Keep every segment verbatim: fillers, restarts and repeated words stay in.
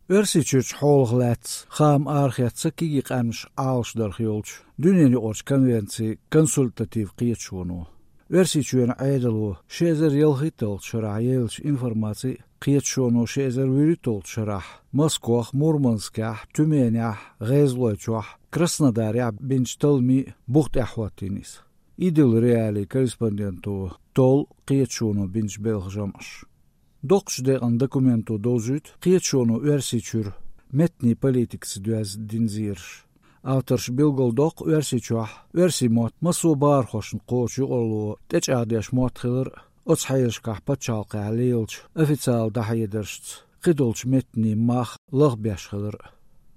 Örsiçüç holgläts ham archiatsa kigi qamş alşdar yolç. Düneni orç konvensi konsultativ qiyetşunu. Örsiçüen aydalu şezer yılhitol şarayelç informasi qiyetşunu şezer viritol şarah. Moskva, Murmanskah, Tümenyah, Rezloyçoh, Krasnodarya binçtalmi buht ahvatinis. İdil reali korrespondentu tol qiyetşunu binç belgjamış. Dokşdeğen dokumentu dozut, qiyetşunu örsiçür, metni politikası düz dinzir. Avtorş bilgol dok örsiçoh, örsimot masu bar hoşun qoçu olu, teç adiyaş motxılır, otsayışkah patçalqı aliyilç, ofitsial dahayedırşt, qidolç metni mah lağbeşxılır.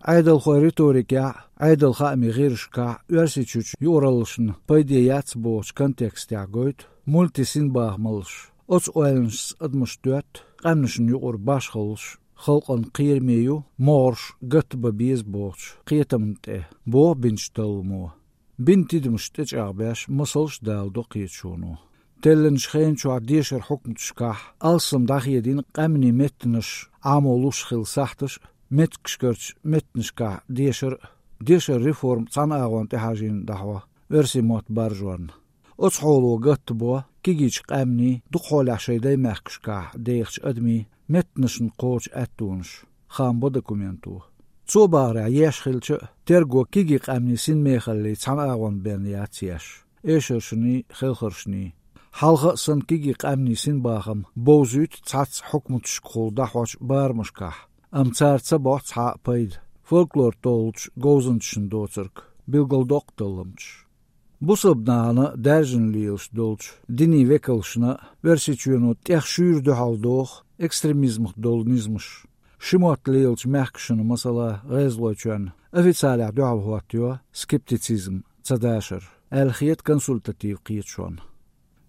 Aydal xoy ritorika, aydal xami girşka, örsiçüç yoralışın paydiyats boç kontekstya goyt, multisin bağmalış. Ots oylans admış dört, qamnışın yuqur başxılış, xalqan qiyirmeyu, morş, gıtba biz boç, qiyetamınte, bo binçtalmu. Bintidmiş teç ağbeş, masalş daldo qiyetşunu. Tellen şxeyn çuğa dişer hukmtşkah, alsım dahiyedin qamni metniş, amoluş xil sahtış, metkşkörç metnişkah dişer, dişer reform san ağon tehajin dahva, örsimot barjorn. Ots holu gıtbo, kigiç qamni, duqolah şeyday mehkşkah, deyxç admi, metnişin qoç ettunş, xambo dokumentu. Çobarya yeşxilçı, tergo kigi qamni sin mexalli san ağon berniyatsiyaş, eşerşini, xilxırşini. Halqa san kigi qamni sin bağım, bozut tsats hukmutşkol dahvaç barmışkah. Amtsartsa bots ha payd. Folklor tolç gozunçın doçırk, bilgol doktalımç. Bu sabnağını derjinliyilş dolç, dini vekalşına versiçiyonu tehşürdü haldoğ, ekstremizmih dolnizmiş. Şimotliyilç mehkşını masala rezloçön, ofitsialah dualhuatyo, skepticizm, tsadaşır, elxiyet konsultativ qiyetşon.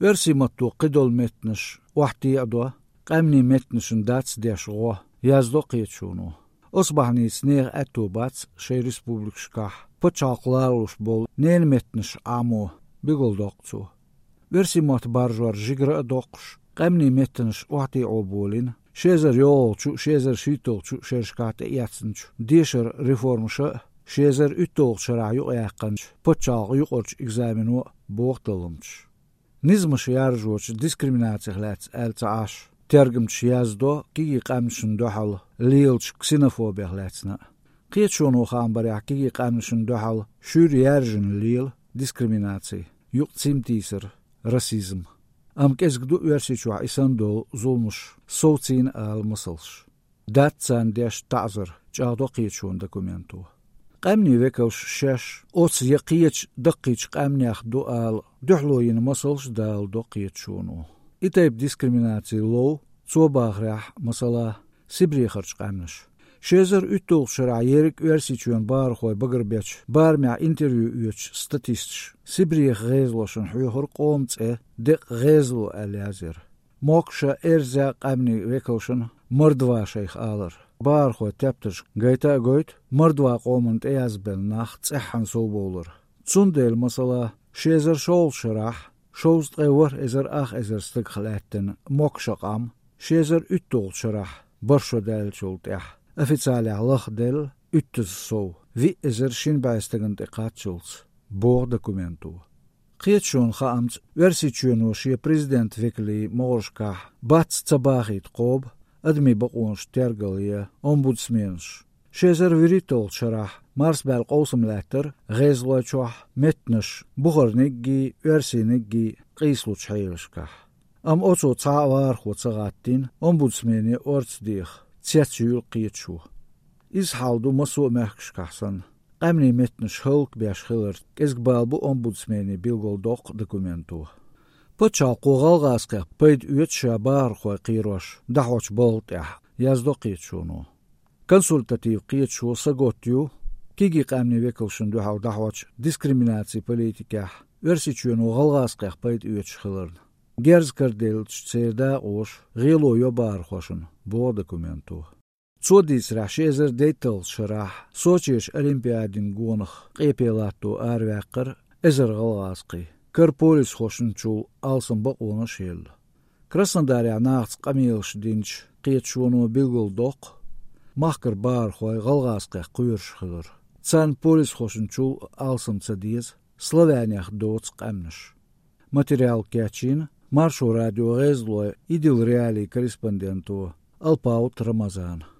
Versimottu qidol metniş, vahti adwa, qamni metnişin dats deşğo, yazdo qiyetşunu. Osbahni sneğ etubats, şey respublikşkah, Почалқларлуш бол нен метниш амо бигол доқцу. Версимот баржуар жигра доқш, қамни метниш уати оболин, шезер йолчу, шезер шитолчу, шершкате яцнчу, дешер реформша, шезер үттолчара юқяққанч, почалқ юқорч экзамену боқталымч. Низмаш яржуоч дискриминациялац әлцааш, тергімч яздо, киги қамшын дохал, лийлч ксенофобиялацна. Qiyetşonu xambarya kigi qamnışın dohal, şür yerjin lil, diskriminatsiy, yuq tsimtisir, rasizm. Am kezgdu üersiçua isandol zulmuş, soğtsin al mısılş. Datsan deş ta'zir, çağdo qiyetşon dokumentu. Qamni vekalş şeş, ots yaqiyeç daqiç qamniaq dual, duhloyin mısılş dal do qiyetşonu. İtayb diskriminatsiy low, çobağrah, masala, sibriyxarç qamnış. Şezer üttol şara yerik versiçyon bar xoy bagırbeç, bar mea interview üç statistş. Sibriyek gezloşun huyhur qomtse dik gezlo alazir. Mokşa erza qamni vekalşun mırdva şeyh alır. Bar xoy teptiş gayta goyt, mırdva qomant eyazbel nax tsehhan sob olur. Tsundel masala şezer şol şarah, şozt qevur ezer ax ezer stık xalattin mokşa qam, şezer üttol şarah, barsho del çolteh. Официаля лахдел үттіз соу, ви эзершин байстаган текатчулц, бор документу. Қиетшон хаамц версичуену шия президент векли моршках, бац цабахит қоб, адми бақуанш тергалия, омбудсменш. Шезер виритол шарах, марс бәл қосым ләттір, ғезлачуах, метнш, бұғырнегги, версинегги, қислуч хайлшках. Ам оцо цаварху цагаттин, омбудсмени орцдих. Tsjetsjul qiyetshu. Is haldu maso mehkshkahsan. Qamni metnish hulk beashkhilert. Kezgbalbu ombudsmeni bilgol doq dokumentu. Počal qoğalğasqaq payd üyet şabar xoy qirosh. Dahwach boltah. Yazdo qiyetshunu. Konsultativ qiyetshu sagotyu. Kigi qamni vekalshun duhaw dahwach diskriminatsi politikah. Versichunu g'alğasqaq payd üyet shkhilert. Gerzkardel tseda osh gilo yobar khoshun bo dokumentu. Tsodis rashezer detail sharah Sochish olimpiadin gonakh qepelato arvaqir ezer g'alğasqi. Karpolis khoshun chu alsın baqona shel. Krasnodarya naqts qamilsh dinch qiyetshunu bilgol doq. Mahkar bārhoja galgāskā quyuršhadur. Can polis hošunču alsamca diez, Slovēņах dots qamnaš. Materiāli Kjačina, Maršu radio reizloja idil reālī korespondentu Alpaut Ramazāna.